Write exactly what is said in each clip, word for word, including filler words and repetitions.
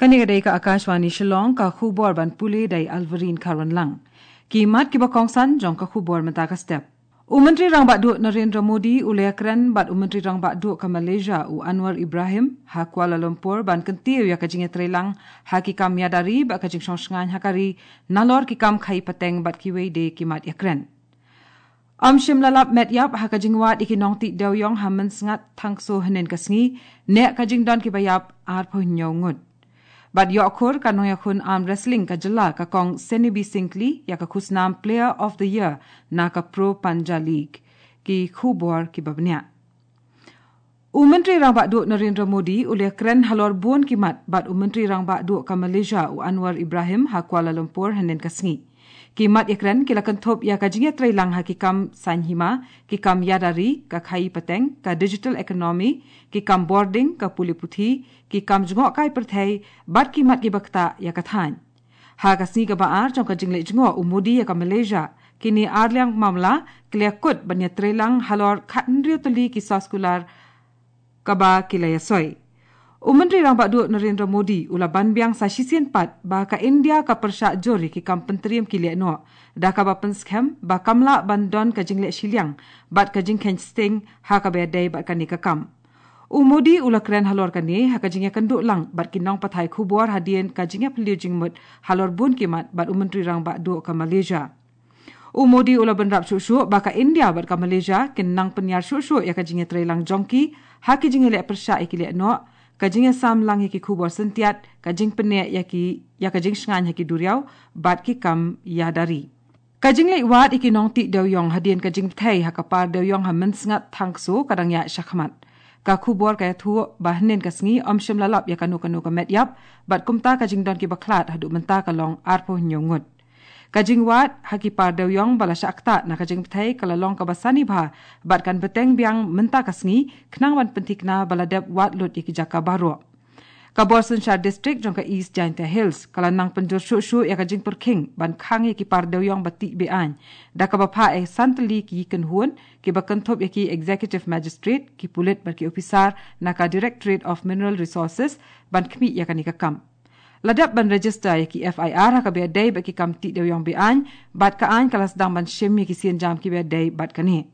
Kane ka dei ka Akashvani Shillong, ka khubor ban pule da i Alverine Kharwanlang. Ki mat kiba kongsan jong ka khubor mynta ka step. U Myntri Rangbah Duh Narendra Modi u la ïakren bad u Myntri Rangbah Duh ka Malaysia u Anwar Ibrahim ha Kuala Lumpur ban kyntiew ïa ka jingïatreilang ha ki kam ïada ri bad ka jingshong shngaiñ ha ka ri, nalor ki kam khaïi pateng bad kiwei de ki mat ïakren. Ym shym la lap met ïap ha ka jingwad ïa ki nongtih dewiong ha Mynsngat Thangso hynnin ka sngi, ne ka jingdon kiba ïap arphew hynñiew ngut. Bad ïoh khur ka nongïakhun arm wrestling ka jylla ka kong Senibi Syngkli ïa ka khusnam Player of the Year na ka Pro Panja League. Ki khubor kiba bniah. U Myntri Rangbah Duh Narendra Modi u la ïakren halor bun ki mat bad u Myntri Rangbah Duh ka Malaysia u Anwar Ibrahim ha Kuala Lumpur hynnin ka sngi. Ki mat ïakren ki la kynthup ïa ka jingïatreilang ha ki kam saiñ hima, ki kam ïada ri, ka khaïi pateng, ka digital economy, ki kam bording, ka pule puthi, ki kam jngohkai pyrthei, bad ki mat kiba ktah ïa ka thaiñ. Ha ka sngi kaba ar jong ka jingleit jngoh u Modi ïa ka Malaysia, kine arliang mamla ki la ïakut ban ïatreilang halor khathynriew tylli ki soskular kaba ki la ïasoi. U Myntri Rangbah Duh Narendra Modi u la ban biang sa shisien pat ba ka India ka pyrshah jur ïa ki kam pyntriem ki lehnoh, da kaba pynskhem ba kam lah ban don ka jingleh shiliang bad ka jingkheiñ sting ha kaba ïadei bad kane ka kam. U Modi u la kren halor kane ha ka jingïakynduh lang bad ki nongpathai khubor hadien ka jingïaphylliew jingmut halor bun ki mat bad u Myntri Rangbah Duh ka Malaysia. U Modi u la bynrap shuh shuh ba ka India bad ka Malaysia kin nang pynïar shuh shuh ïa ka jingïatreilang jong ki ha ki jingïaleh pyrshah ïa ki lehnoh, ka jingïasam lang ïa ki khubor syntiat, ka jingpynneh ïa ki, ïa ka jingshngaiñ ha ki duriaw bad ki kam ïada ri. Ka jingleit wad ïa ki nongtih dewiong hadien ka jingbthei ha ka par dewiong ha Mynsngat Thangso ka dang ïaid shakhmat. Ka khubor ka ïathuh ba hynnin ka sngi ym shym la lap ïa kano kano ka met ïap, bad kumta ka jingdon kiba khlad haduh mynta ka long arphew hynñiew ngut. Ka jingwad ha ki par dewiong ba la shah ktah na ka jingbthei ka la long kaba sani bha, bad kan bteng biang mynta ka sngi khnang ban pynthikna ba la dep wad lut ïa ki jaka baroh. Ka bor synshar district jong ka East Jaintia Hills ka la nang pynjur shuh shuh ïa ka jingpyrkhing ban khang ïa ki par dewiong ba tih be-aiñ, da kaba phah ïa san tylli ki kynhun kiba kynthup ïa ki executive magistrate, ki pulit bad ki ophisar na ka Directorate of Mineral Resources ban khmih ïa kane ka kam. La dep ban register ïa ki F I R ha kaba ïadei bad ki kam tih dewiong be-aiñ, bad ka aiñ ka la sdang ban shim ïa ki sienjam kiba ïadei bad kane.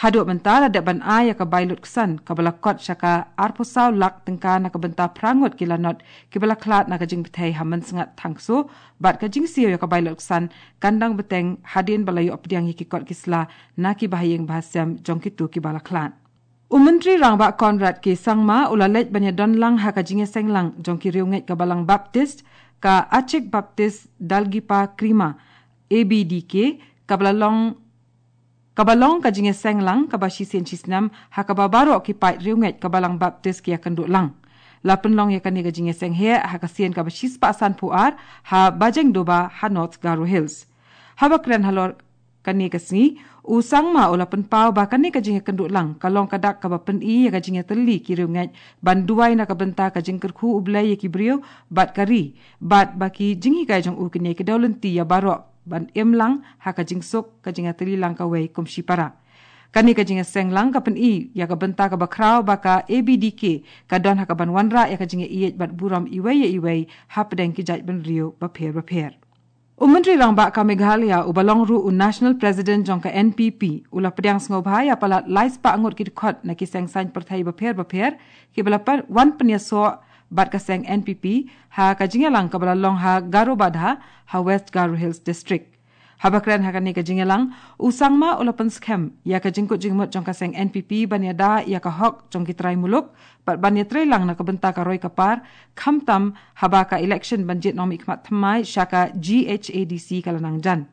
Haduh mynta la dep ban ai ïa ka bai lutksan kaba la kot sha ka arphew saw lak tyngka na ka bynta phra ngut ki lanot kiba la khlad na ka jingbthei ha Mynsngat Thangso, bad ka jingsiew ïa ka bai lutksan kan dang bteng hadien ba la ïoh pdiang ïa ki kot ki sla na ki bahaïing bahasem jong kito kiba la khlad. U Myntri Rangbah Conrad K Sangma u la leit ban ïadon lang ha ka jingïaseng lang jong ki riewngeit ka Balang Baptist, ka Achik Baptist Dalgipa Krima, A B D K, kaba la long kaba long ka jingïaseng lang kaba shisien shisnem ha kaba baroh ki paid riewngeit ka Balang Baptist ki ïakynduh lang. La pynlong ïa kane ka jingïaseng heh ha ka sien kaba shispah sanphew ar ha Bajengdoba ha North Garo Hills. Haba kren halor kane ka sngi, u Sangma u la pynpaw ba kane ka jingïakynduh lang ka long ka dak kaba pyni ïa ka jingïatylli ki riewngeit ban duwai na ka bynta ka jingkyrkhu U Blei ïa ki briew bad ka ri, bad ba ki jinghikai jong u kin ïai kdew lynti ïa baroh ban im lang ha ka jingsuk, ka jingïatylli lang kawei kum shipara. Kane ka jingïaseng lang ka pyni ïa ka bynta kaba khraw ba ka A B D K ka don ha kaban wanrah ïa ka jingïaieit bad burom iwei ïa iwei hapdeng ki jaitbynriew bapher bapher. U Myntri Rangbah ka Meghalaya uba long ruh u National President jong ka N P P u la pdiang sngewbha ïa palat lai spah ngut ki dkhot na ki seng saiñ pyrthei bapher bapher kiba la wan pynïasoh bad ka seng N P P ha ka jingïalang kaba la long ha Garobadha ha West Garo Hills District. Haba kren ha kane ka jingïalang, u Sangma u la pynskhem ïa ka jingkut jingmut jong ka seng N P P ban ïada ïa ka hok jong ki trai muluk bad ban ïatreilang na ka bynta ka roi ka par, khamtam haba ka election ban jied nongmihkhmat thymmai sha ka G H A D C ka la nang jan.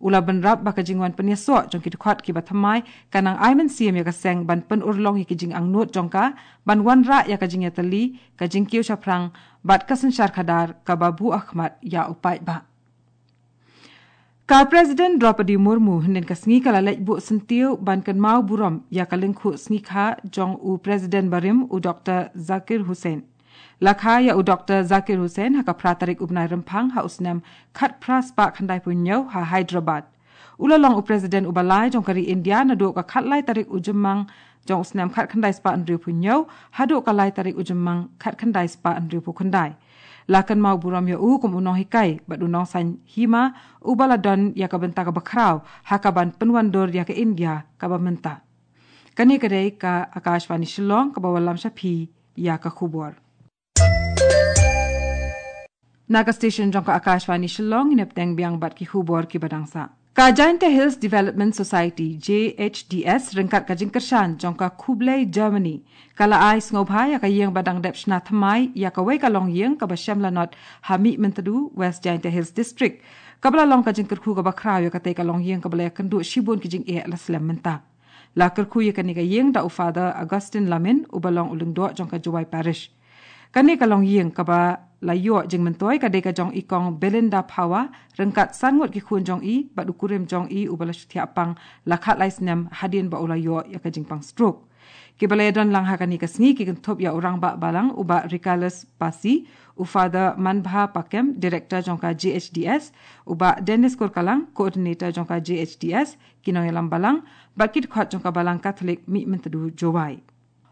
U la bynrap ba ka jingwan pynïasoh jong ki dkhot kiba thymmai ka nang ai mynsiem ïa ka seng ban pynurlong ïa ki jingangnud jong ka ban wanrah ïa ka jingïatylli, ka jingkiew shaphrang bad ka synshar khadar kaba buh ha khmat ïa u paidbah. Ka President Droupadi Murmu hynnin ka sngi ka la leit buh syntiew ban kynmaw burom ïa ka lyngkhuh sngikha jong u President barim u Doktor Zakir Hussain. La kha ïa u Doktor Zakir Hussain ha ka phra tarik u bnai Rymphang ha u snem khatphra spah khyndaiphew hynñiew ha Hyderabad. U la long u President uba lai jong ka ri India naduh ka khatlai tarik u Jymmang jong u snem khatkhyndai spah hynriewphew hynñiew haduh ka lai tarik u Jymmang khatkhyndai spah hynriewphew khyndai. La kynmaw burom ïa u kum u nonghikai bad u nongsaiñ hima uba la don ïa ka bynta kaba khraw ha kaban pynwandur ïa ka India kaba mynta. Kane ka dei ka Akashvani Shillong kaba wallam sha phi ïa ka khubor. Na ka station jong ka Akashvani Shillong, ngin ïa bteng biang bad ki khubor kiba dang sah. Ka Jaintia Hills Development Society, J H D S, ryngkat ka jingkyrshan jong ka Khublei Germany, ka la ai sngewbha ïa ka ïing ba dang dep shna thymmai ïa kawei ka longïing kaba shem lanot ha Mihmyntdu, West Jaintia Hills District, kaba la long ka jingkyrkhu kaba khraw ïa katei ka longïing kaba la ïakynduh shibun ki jingeh la slem mynta. La kyrkhu ïa kane ka ïing da u Father Augustine Lamin, uba long u lyngdoh jong ka Jowai Parish. Kane ka longïing kaba la ïoh jingmyntoi ka dei ka jong i Kong Belinda Phawa, ryngkat san ngut ki khun jong i bad u kurim jong i uba la shu thiah pang la khatlai snem hadien ba u la ïoh ïa ka jingpang stroke. Kiba la ïadon lang ha kane ka sngi ki kynthup ïa u Rangbah Balang u Bah Ricarus Passy, u Father Manbha Pakem, Director jong ka J H D S, u Bah Dennis Kurkalang, Coordinator jong ka J H D S, ki nongïalam balang bad ki dkhot jong ka Balang Katholik Mihmyntdu Jowai.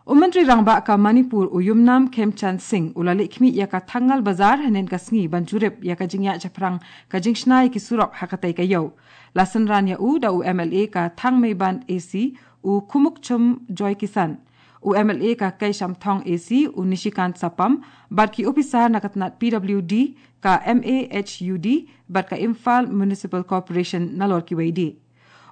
U Myntri Rangbah ka Manipur u Yumnam Khemchand Singh u la leit khmih ïa ka Thangal Bazar hynnin ka sngi ban jurip ïa ka jingïaid shaphrang ka jingshna ïa ki surok ha katei ka ïew. La synran ïa u da u M L A ka Thangmeiband A C u Khumukchum Joykisan, u M L A ka Keishamthong A C u Nishikant Sapam bad ki ophisar na ka tnat P W D, ka M A H U D bad ka Imphal Municipal Corporation nalor kiwei de.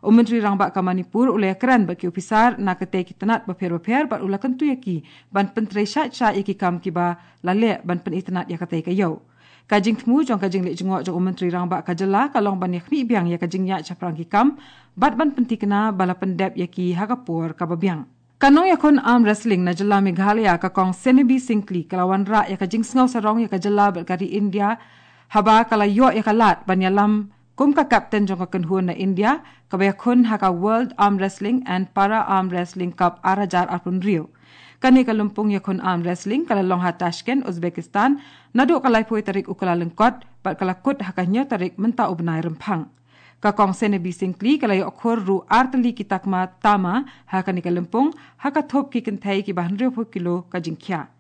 U Myntri Rangbah ka Manipur u la ïakren bad ki ophisar na katei ki tnat bapher bapher bad u la kyntu ïa ki ban pyntrei shait shait ïa ki kam kiba la leh ban pynitynnad ïa katei ka ïew. Ka jingthmu jong ka jingleit jngoh jong u Myntri Rangbah ka jylla ka long ban ïakhmih biang ïa ka jingïaid shaphrang ki kam bad ban pynthikna ba la pyndep ïa ki ha ka por kaba biang. Ka nongïakhun arm wrestling na jylla Meghalaya ka Kong Senebi Syngkli ka la wanrah ïa ka jingsngew sarong ïa ka jylla bad ka ri India haba ka la ïoh ïa ka lad ban ïalam kum ka captain jong ka kynhun na India kaba ïakhun ha ka World Arm Wrestling and Para Arm Wrestling Cup ar hajar arphew hynriew. Kane ka lympung ïakhun arm wrestling ka la long ha Tashkent, Uzbekistan, naduh ka laiphew tarik u Kyllalyngkot bad ka la kut ha ka hynñiew tarik mynta u bnai Rymphang. Ka Kong Senebi Syngkli ka la ïoh khur ruh ar tylli ki takma tama ha kane ka lympung ha ka thup ki kynthei kiba hynriewphew kilo ka jingkhia.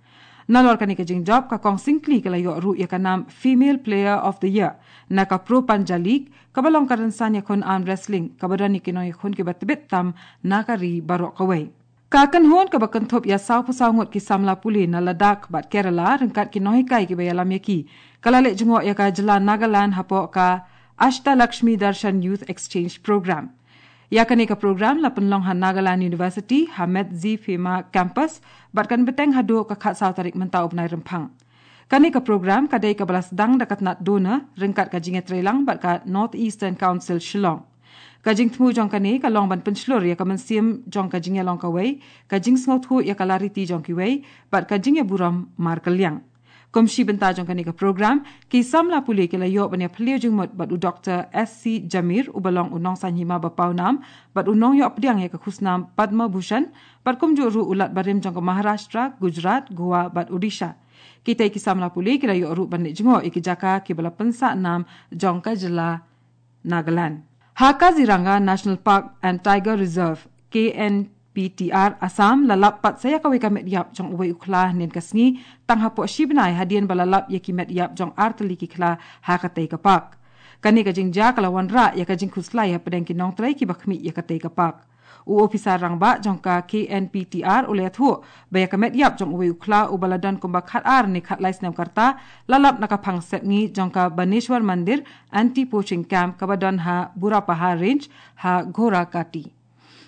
Nalor kane ka jingjop ka Kong Syngkli ka la ïoh ruh ïa ka nam Female Player of the Year na ka Pro Panja League kaba long ka rynsan ïakhun arm wrestling kaba don ïa ki nongïakhun kiba tbit tam na ka ri baroh kawei. Ka kynhun kaba kynthup ïa sawphew saw ngut ki samla pule na Ladakh bad Kerala ryngkat ki nonghikai kiba ïalam ïa ki ka la leit jngoh ïa ka jylla Nagaland hapoh ka Ashtalakshmi Darshan Youth Exchange Program. Ïa kane ka program la pynlong ha Nagaland University ha Medziphema Campus bad kan bteng haduh ka khatsaw tarik mynta u bnai Rymphang. Kane ka program ka dei kaba la sdang da ka tnat DoNER ryngkat ka jingïatreilang bad ka North Eastern Council Shillong. Ka jingthmu jong kane ka long ban pynshlur ïa ka mynsiem jong ka jingïalong kawei, ka jingsngewthuh ïa ka lariti jong kiwei bad ka jingïaburom markylliang. Kum shi bynta jong kane ka program, ki samla pule ki la ïoh ban ïaphylliew jingmut bad u Doktor S C Jamir uba long u nongsaiñ hima ba pawnam bad u nongïoh pdiang ïa ka khusnam Padma Bhushan bad kumjuh ruh u Lat barim jong ka Maharashtra, Gujarat, Goa bad Odisha. Kitei ki samla pule ki la ïoh ruh ban leit jngoh ïa ki jaka kiba la pynsah nam jong ka jylla Nagaland. Ha Kaziranga National Park and Tiger Reserve, K N P T R Assam, la lap pat sa ïa kawei ka met ïap jong uwei u khla hynnin ka sngi tang hapoh shi bnai hadien ba la lap ïa ki met ïap jong ar tylli ki khla ha katei ka park. Kane ka jingjia ka la wanrah ïa ka jingkhuslai hapdeng ki nongtrei kiba khmih ïa katei ka park. U ophisar rangbah jong ka K N P T R u la ïathuh ba ïa ka met ïap jong uwei u khla uba la don kumba khatar ne khatlai snem ka rta la lap na ka phang sepngi jong ka Baneshwar Mandir Anti Poaching Camp kaba don ha Burapahar Range ha Ghorakati.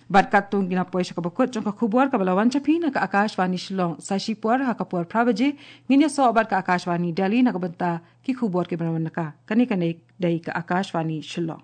Bad katto ngi la poi sha kaba kut jong ka khubor kaba la wan sha phi na ka Akashvani Shillong. Sa shipor ha ka por phra baje ngin ïasoh bad ka Akashvani Delhi na ka bynta ki khubor kiba la wan na ka. Kane ka dei ka Akashvani Shillong.